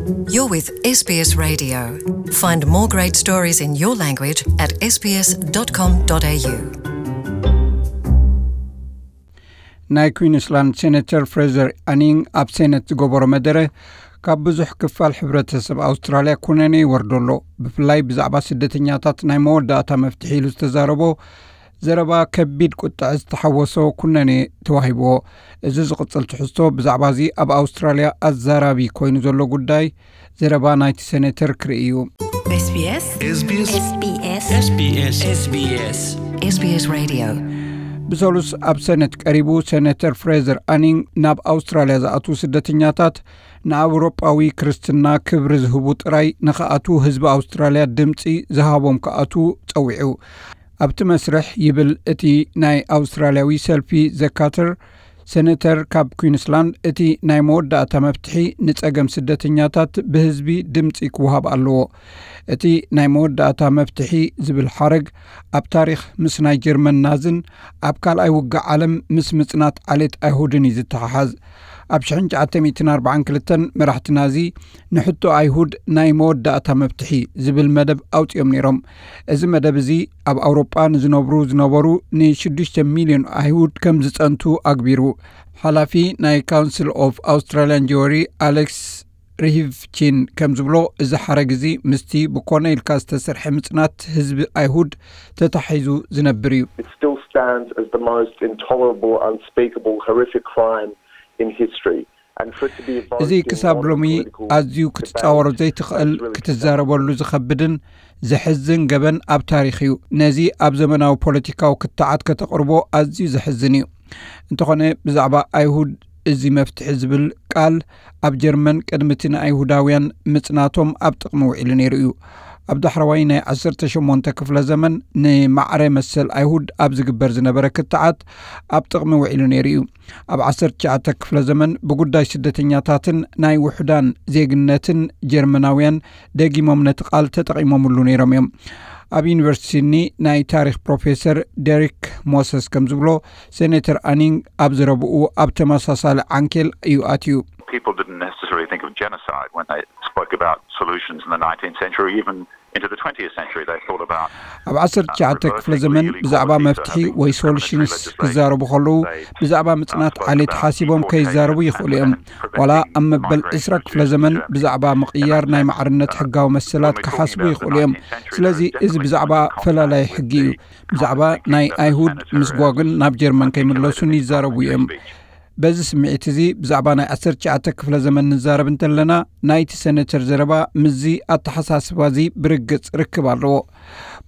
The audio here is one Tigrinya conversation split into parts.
You're with S B S Radio. Find more great stories in your language at S B S dot com dot A U. ናይ ኩዊንስላንድ ሴኔተር ፍሬዘር ኣኒንግ ኣብ ሴኔት ዝገበሮ መደረ፣ ካብ ብዙሕ ክፋል ሕብረተሰብ ኣውስትራልያ ኩነኔ ይወርዶ ኣሎ። ብፍላይ ብዛዕባ ስደተኛታት ናይ መወዳእታ መፍትሒ ኢሉ ዝተዛረቦ ዘረባ፣ ከቢድ ቁጥዐ ዝተሓወሶ ኩነኔ ተዋሂብዎ። እዚ ዝቕጽል ትሕዝቶ ብዛዕባ እዚ ኣብ ኣውስትራልያ ኣዛራቢ ኮይኑ ዘሎ ጉዳይ፣ ዘረባ ናይቲ ሴኔተር ክርኢ እዩ። S B S SBS SBS SBS SBS Radio. ብሰሉስ ኣብ ሰነት ቀሪቡ፣ ሴኔተር ፍሬዘር ኣኒንግ ናብ ኣውስትራልያ ዝኣትዉ ስደተኛታት ንኣውሮጳዊ ክርስትና ክብሪ ዝህቡ ጥራይ ንኽኣትዉ፣ ህዝቢ ኣውስትራልያ ድምጺ ዝሃቦም ክኣትዉ ጸዊዑ። ኣብቲ መስርሕ ይብል እቲ ናይ ኣውስትራልያዊ ሰልፊ ዘካተር፣ ሴኔተር ካብ ኩዊንስላንድ፣ እቲ ናይ መወዳእታ መፍትሒ ንጸገም ስደተኛታት ብህዝቢ ድምጺ ክወሃብ ኣለዎ። እቲ ናይ መወዳእታ መፍትሒ ዝብል ሓረግ ኣብ ታሪኽ ምስ ናይ ጀርመን ናዝን ኣብ ካልኣይ ውግእ ዓለም ምስ ምጽናት ዓሌት ኣይሁድን እዩ ዝተሓሓዝ። ኣብ ሽሕን ትሽዓተ ሚእትን ኣርባዓን ክልተን መራሕቲ ናዚ ንሕቶ ኣይሁድ ናይ መወዳእታ መፍትሒ ዝብል መደብ ኣውጺኦም ነይሮም። እዚ መደብ እዚ ኣብ ኣውሮጳ ንዝነብሩ ዝነበሩ ንሽዱሽተ ሚልዮን ኣይሁድ ከም ዝጸንቱ ኣግቢሩ። ሓላፊ ናይ ካውንስል ኦፍ ኣውስትራልያን ጀወሪ ኣሌክስ ሪሂቭቺን ከም ዝብሎ፣ እዚ ሓረግ እዚ ምስቲ ብኮነ ኢልካ ዝተሰርሐ ምጽናት ህዝቢ ኣይሁድ ተታሒዙ ዝነብር እዩ። It still stands as the most intolerable, unspeakable, horrific crime in history. And for it to be evoked እዚ in ክሳብ modern ሎሚ political ኣዝዩ debate ክትጻወሮ ዘይትኽእል፣ has really ክትዛረበሉ ዝኸብድን ዘሕዝን ገበን ኣብ ታሪኽ እዩ። ነዚ ኣብ ዘመናዊ ፖለቲካዊ ክትዓት ከተቕርቦ ኣዝዩ ዘሕዝን እዩ። እንተኾነ፣ ብዛዕባ ኣይሁድ እዚ መፍትሒ ዝብል ቃል ኣብ ጀርመን ቅድሚ እቲ ንኣይሁዳውያን ምጽናቶም ኣብ ጥቕሚ ውዒሉ ነይሩ እዩ። ኣብ ዳሕረዋይ ናይ ዓሰርተ ሸሞንተ ክፍለ ዘመን ንማዕረ መሰል ኣይሁድ ኣብ ዝግበር ዝነበረ ክትዓት ኣብ ጥቕሚ ውዒሉ ነይሩ እዩ። ኣብ ዓሰርተ ትሽዓተ ክፍለ ዘመን ብጉዳይ ስደተኛታትን ናይ ውሑዳን ዜግነትን ጀርመናውያን ደጊሞም ነቲ ቃል ተጠቒሞምሉ ነይሮም እዮም። ኣብ ዩኒቨርሲቲ ሲድኒ ናይ ታሪኽ ፕሮፌሰር ደሪክ ሞሰስ ከም ዝብሎ፣ ሴኔተር ኣኒንግ ኣብ ዘረብኡ ኣብ ተመሳሳሊ ዓንኬል እዩ ኣትዩ። People didn't necessarily think of genocide when they spoke about solutions in the nineteenth century, even into the twentieth century. They thought about ኣብ ዓሰርተ ትሽዓተ ክፍለ ዘመን ብዛዕባ መፍትሒ ወይ ሶሉሽንስ ክዛረቡ ከለዉ፣ ብዛዕባ ምጽናት ዓሌት ሓሲቦም ከይዛረቡ ይኽእሉ እዮም። ዋላ ኣብ መበል ዕስራ ክፍለ ዘመን ብዛዕባ ምቕያር ናይ ማዕርነት ሕጋዊ መሰላት ክሓስቡ ይኽእሉ እዮም። ስለዚ እዚ ብዛዕባ ፈላላይ ሕጊ እዩ። ብዛዕባ ናይ ኣይሁድ ምስጓግን ናብ ጀርመን ከይምለሱን ይዛረቡ እዮም። በዚ ስምዒት እዚ ብዛዕባ ናይ ዓሰርተ ትሽዓተ ክፍለ ዘመን ንዛረብ እንተለና፣ ናይቲ ሴኔተር ዘረባ ምስዚ ኣተሓሳስባ እዚ ብርግጽ ርክብ ኣለዎ።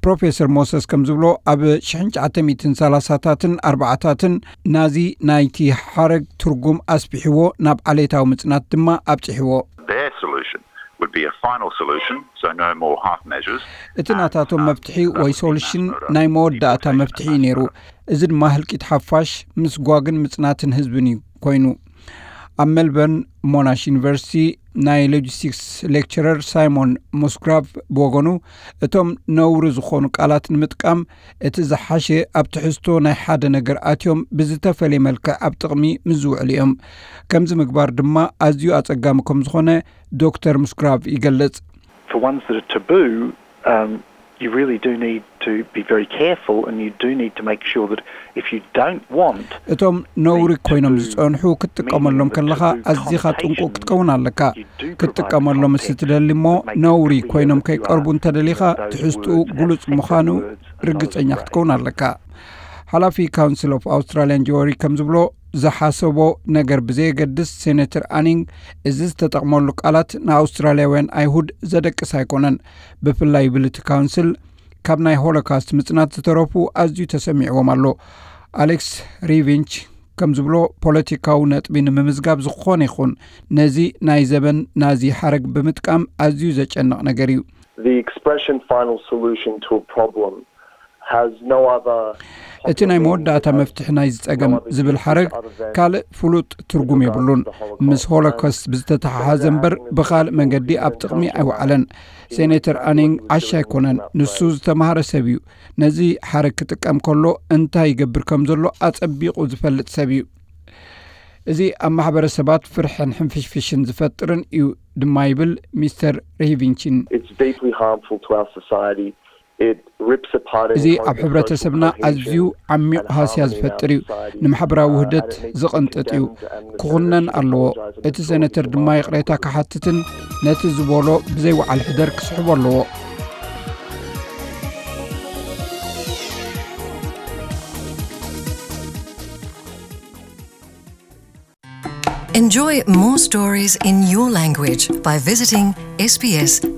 ፕሮፌሰር ሞሰስ ከም ዝብሎ፣ ኣብ ሽሕን ትሽዓተ ሚእትን ሰላሳታትን ኣርባዓታትን ናዚ ናይቲ ሓረግ ትርጉም ኣስፊሕዎ፣ ናብ ዓሌታዊ ምጽናት ድማ ኣብጺሕዎ። Their solution would be a final solution, so no more half measures. እቲ ናታቶም መፍትሒ ወይ ሶሉሽን ናይ መወዳእታ መፍትሒ እዩ ነይሩ። እዚ ድማ ህልቂት ሓፋሽ፣ ምስጓግን ምጽናትን ህዝብን እዩ ኮይኑ። ኣብ ሜልበርን ሞናሽ ዩኒቨርሲቲ ናይ ሎጂስቲክስ ሌክቸረር ሳይሞን ሙስግራቭ ብወገኑ፣ እቶም ነውሪ ዝኾኑ ቃላት ንምጥቃም፣ እቲ ዝሓሸ ኣብ ትሕዝቶ ናይ ሓደ ነገር ኣትዮም ብዝተፈልየ መልክዕ ኣብ ጥቕሚ ምስ ዝውዕሉ እዮም። ከምዚ ምግባር ድማ ኣዝዩ ኣጸጋሚ ከም ዝኾነ ዶክተር ሙስግራቭ ይገልጽ። For ones that are taboo, um, you really do need to be very careful, and you do need to make sure that if you don't want እቶም ነውሪ ኮይኖም ዝጸንሑ ክትጥቀመሎም ከለኻ ኣዚኻ ጥንቁቕ ክትከውን ኣለካ። ክትጥቀመሎም ምስ ትደሊ እሞ፣ ነውሪ ኮይኖም ከይቀርቡ እንተደሊኻ፣ ትሕዝትኡ ግሉጽ ምዃኑ ርግጸኛ ክትከውን ኣለካ። ሓላፊ ካውንስል ኦፍ ኣውስትራልያን ጀወሪ ከም ዝብሎ፣ ዝሓሰቦ ነገር ብዘየገድስ፣ ሴኔተር ኣኒንግ እዚ ዝተጠቕመሉ ቃላት ንኣውስትራልያውያን ኣይሁድ ዘደቅስ ኣይኮነን። ብፍላይ ይብል እቲ ካውንስል፣ ካብ ናይ ሆሎካስት ምጽናት ዝተረፉ ኣዝዩ ተሰሚዕዎም ኣሎ። ኣሌክስ ሪቪንች ከም ዝብሎ፣ ፖለቲካዊ ነጥቢ ንምምዝጋብ ዝኾነ ይኹን ነዚ ናይ ዘበን ናዚ ሓረግ ብምጥቃም ኣዝዩ ዘጨንቕ ነገር እዩ። The expression final solution to a problem has no other እቲ ናይ መወዳእታ መፍትሒ ናይዚ ጸገም ዝብል ሓረግ ካልእ ፍሉጥ ትርጉም የብሉን። ምስ ሆሎኮስት ብዝተተሓሓዘ እምበር ብኻልእ መንገዲ ኣብ ጥቕሚ ኣይወዓለን። ሴኔተር ኣኒንግ ዓሻ ኣይኮነን። ንሱ ዝተማህረ ሰብ እዩ። ነዚ ሓረግ ክጥቀም ከሎ እንታይ ይገብር ከም ዘሎ ኣጸቢቑ ዝፈልጥ ሰብ እዩ። እዚ ኣብ ማሕበረሰባት ፍርሕን ሕንፍሽፍሽን ዝፈጥርን እዩ ድማ ይብል ሚስተር ሪሂቪንቺን። It's deeply harmful to our society. It rips apart and እዚ ኣብ ሕብረተሰብና ኣዝዩ ዓሚቕ ሃስያ ዝፈጥር እዩ። ንማሕበራዊ ውህደት ዝቕንጥጥ እዩ። ክኹነን ኣለዎ። እቲ ሴነተር ድማ ይቕሬታ ክሓትትን ነቲ ዝበሎ ብዘይ ወዓል ሕደር ክስሕቦ ኣለዎ። Enjoy more stories in your language by visiting sbs.com.au.